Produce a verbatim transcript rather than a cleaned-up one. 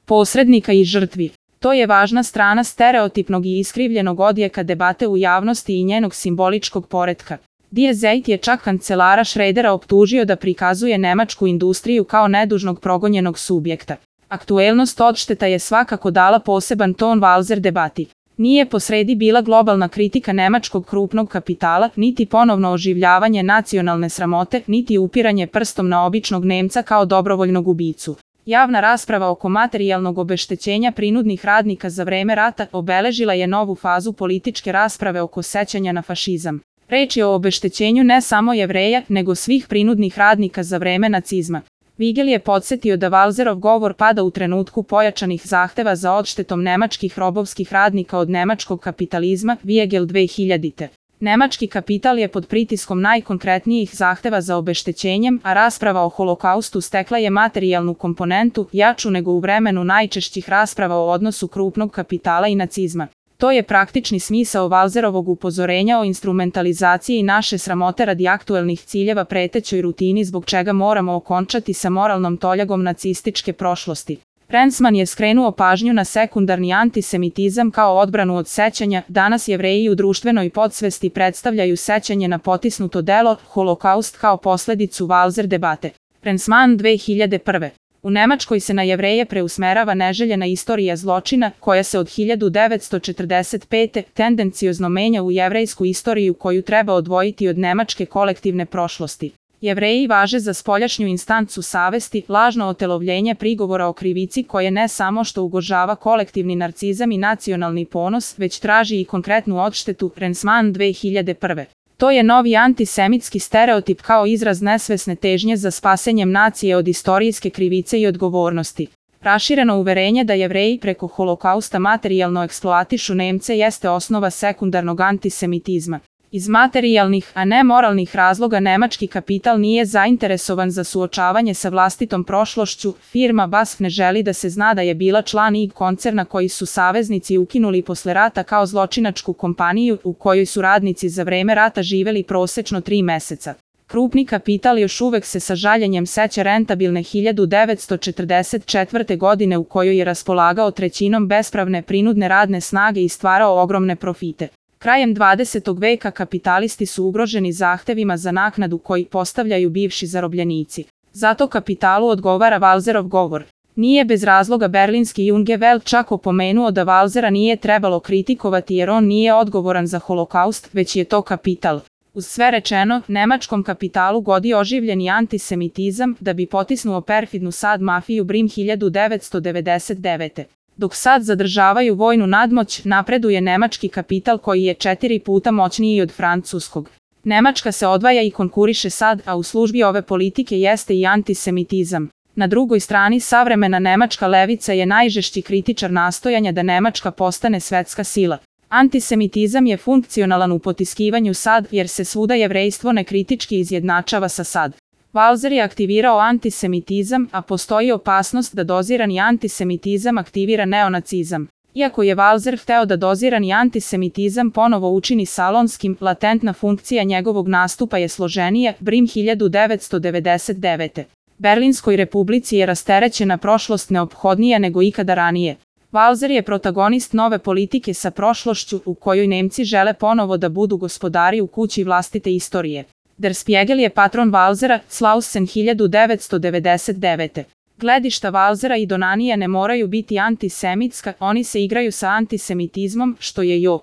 posrednika i žrtvi. To je važna strana stereotipnog i iskrivljenog odjeka debate u javnosti i njenog simboličkog poretka. Die Zeit je čak kancelara Schrödera optužio da prikazuje nemačku industriju kao nedužnog progonjenog subjekta. Aktuelnost odšteta je svakako dala poseban ton Walser debati. Nije posredi bila globalna kritika nemačkog krupnog kapitala, niti ponovno oživljavanje nacionalne sramote, niti upiranje prstom na običnog Nemca kao dobrovoljnog ubicu. Javna rasprava oko materijalnog obeštećenja prinudnih radnika za vreme rata obeležila je novu fazu političke rasprave oko sećanja na fašizam. Reč je o obeštećenju ne samo Jevreja, nego svih prinudnih radnika za vreme nacizma. Vigel je podsjetio da Walserov govor pada u trenutku pojačanih zahteva za odštetom nemačkih robovskih radnika od nemačkog kapitalizma, Vigel dve hiljadite. Nemački kapital je pod pritiskom najkonkretnijih zahteva za obeštećenjem, a rasprava o holokaustu stekla je materijalnu komponentu, jaču nego u vremenu najčešćih rasprava o odnosu krupnog kapitala i nacizma. To je praktični smisao Walserovog upozorenja o instrumentalizaciji naše sramote radi aktuelnih ciljeva pretećoj rutini zbog čega moramo okončati sa moralnom toljagom nacističke prošlosti. Rensman je skrenuo pažnju na sekundarni antisemitizam kao odbranu od sećanja. Danas Jevreji u društvenoj podsvesti predstavljaju sećanje na potisnuto delo, holokaust kao posledicu Walser debate. Rensman dve hiljade prve. U Nemačkoj se na Jevreje preusmerava neželjena istorija zločina, koja se od hiljadu devetsto četrdeset pete. tendenciozno menja u jevrejsku istoriju koju treba odvojiti od nemačke kolektivne prošlosti. Jevreji važe za spoljašnju instancu savesti, lažno otelovljenje prigovora o krivici koje ne samo što ugrožava kolektivni narcizam i nacionalni ponos, već traži i konkretnu odštetu. Rensman dve hiljade prve. To je novi antisemitski stereotip kao izraz nesvesne težnje za spasenjem nacije od istorijske krivice i odgovornosti. Rašireno uverenje da Jevreji preko holokausta materijalno eksploatišu Nemce jeste osnova sekundarnog antisemitizma. Iz materijalnih, a ne moralnih razloga nemački kapital nije zainteresovan za suočavanje sa vlastitom prošlošću. Firma B A S F ne želi da se zna da je bila član I G koncerna koji su saveznici ukinuli posle rata kao zločinačku kompaniju u kojoj su radnici za vreme rata živeli prosečno tri meseca. Krupni kapital još uvek se sa žaljenjem seća rentabilne hiljadu devetsto četrdeset četvrte. godine u kojoj je raspolagao trećinom bespravne prinudne radne snage i stvarao ogromne profite. Krajem dvadesetog veka kapitalisti su ugroženi zahtevima za naknadu koji postavljaju bivši zarobljenici. Zato kapitalu odgovara Walserov govor. Nije bez razloga berlinski Junge Welt čak opomenuo da Walsera nije trebalo kritikovati jer on nije odgovoran za holokaust, već je to kapital. Uz sve rečeno, nemačkom kapitalu godi oživljeni antisemitizam da bi potisnuo perfidnu sad mafiju Brim hiljadu devetsto devedeset devete. Dok sad zadržavaju vojnu nadmoć, napreduje nemački kapital koji je četiri puta moćniji od francuskog. Nemačka se odvaja i konkuriše sad, a u službi ove politike jeste i antisemitizam. Na drugoj strani savremena nemačka levica je najžešći kritičar nastojanja da Nemačka postane svetska sila. Antisemitizam je funkcionalan u potiskivanju sad, jer se svuda jevrejstvo nekritički izjednačava sa sad. Walser je aktivirao antisemitizam, a postoji opasnost da dozirani antisemitizam aktivira neonacizam. Iako je Walser hteo da dozirani antisemitizam ponovo učini salonskim, latentna funkcija njegovog nastupa je složenija. Brim hiljadu devetsto devedeset devete. Berlinskoj republici je rasterećena prošlost neophodnija nego ikada ranije. Walser je protagonist nove politike sa prošlošću u kojoj Nemci žele ponovo da budu gospodari u kući vlastite istorije. Der Spiegel je patron Walsera, Slausen hiljadu devetsto devedeset devete. Gledišta Walsera i Donanija ne moraju biti antisemitska, oni se igraju sa antisemitizmom, što je jo.